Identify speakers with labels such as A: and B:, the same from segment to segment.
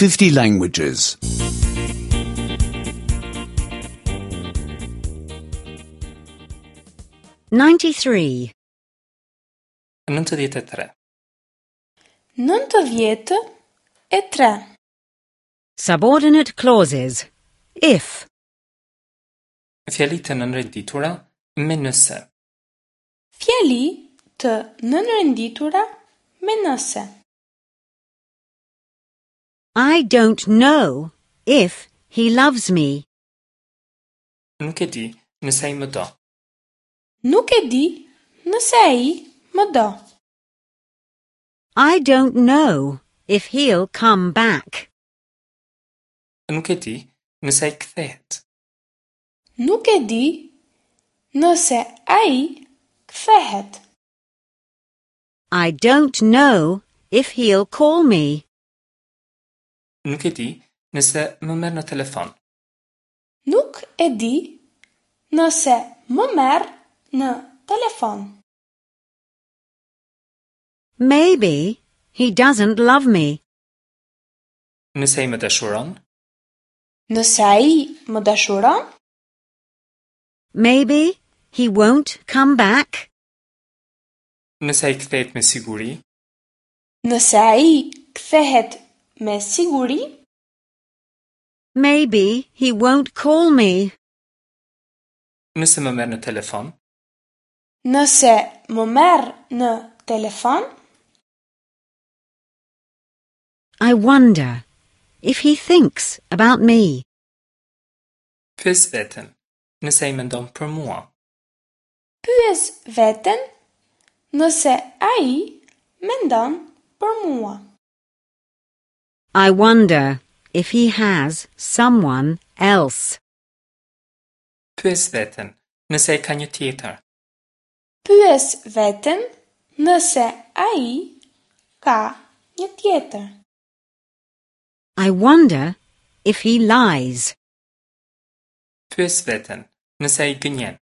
A: 50 languages.
B: 93.
C: 93.
D: 93.
B: Subordinate clauses. If.
C: Fjali të nënrenditura me nëse.
D: Fjali të nënrenditura me nëse.
B: I don't know if he loves me.
C: Nuk e di nëse ai më do.
D: Nuk e di nëse ai më do.
B: I don't know if he'll come back.
C: Nuk e di nëse ai kthehet.
D: Nuk e di nëse ai kthehet.
B: I don't know if he'll call me.
C: Nuk e di nëse më merr në telefon.
D: Nuk e di nëse më merr në telefon.
B: Maybe he doesn't love me.
C: Nëse ai më dashuron,
D: Nëse ai më dashuron,
B: Maybe he won't come back.
C: nëse ai kthehet me siguri,
D: nëse ai kthehet me siguri,
B: Maybe he won't call me.
C: nëse më merr në telefon,
D: nëse më merr në telefon,
B: I wonder if he thinks about me.
C: pyes veten, nëse ai mendon për mua.
D: pyes veten nëse ai mendon për mua.
B: I wonder if he has someone else.
C: Pyes veten, nëse ai ka një tjetër.
D: Pyes veten nëse ai ka një tjetër.
B: I wonder if he lies.
C: Pyes veten, nëse ai gënjen.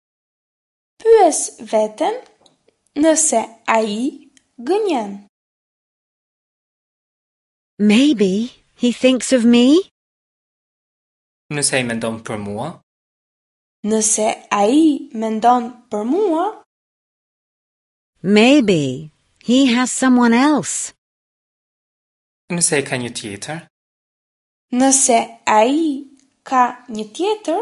D: Pyes veten nëse ai gënjen.
B: Maybe he thinks of me.
C: Nëse ai mendon për mua,
D: Nëse ai mendon për mua,
B: Maybe he has someone else.
C: nëse ai ka një tjetër,
D: nëse ai ka një tjetër,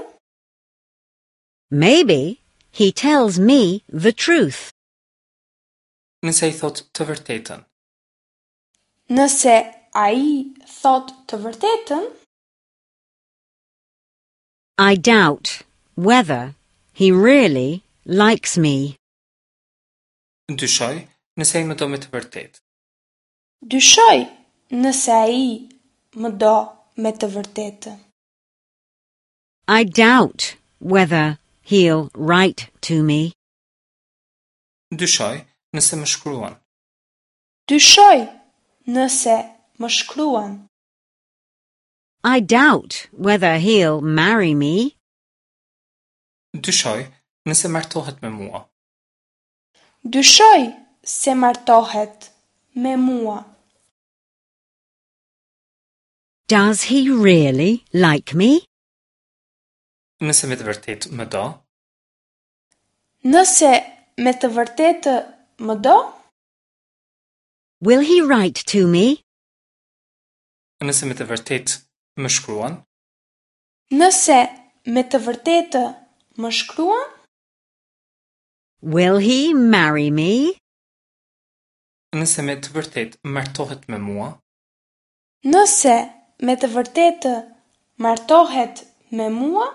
B: Maybe he tells me the truth.
C: nëse ai thotë të vërtetën.
D: nëse ai thot të vërtetën,
B: I doubt whether he really likes me.
C: Dyshoj nëse ai më do me të vërtetë.
D: dyshoj nëse ai më do me të vërtetë.
B: I doubt whether he'll write to me.
C: Dyshoj nëse më shkruan.
D: Dyshoj nëse më shkruan.
B: I doubt whether he'll marry me.
C: Dyshoj nëse martohet me mua.
D: Dyshoj se martohet me mua.
B: Does he really like me?
C: Nëse me të vërtetë më do,
D: Nëse me të vërtetë më do,
B: Will he write to me?
C: nëse me të vërtetë më shkruan,
D: nëse me të vërtetë më shkruan,
B: Will he marry me?
C: nëse me të vërtetë martohet me mua,
D: nëse me të vërtetë martohet me mua,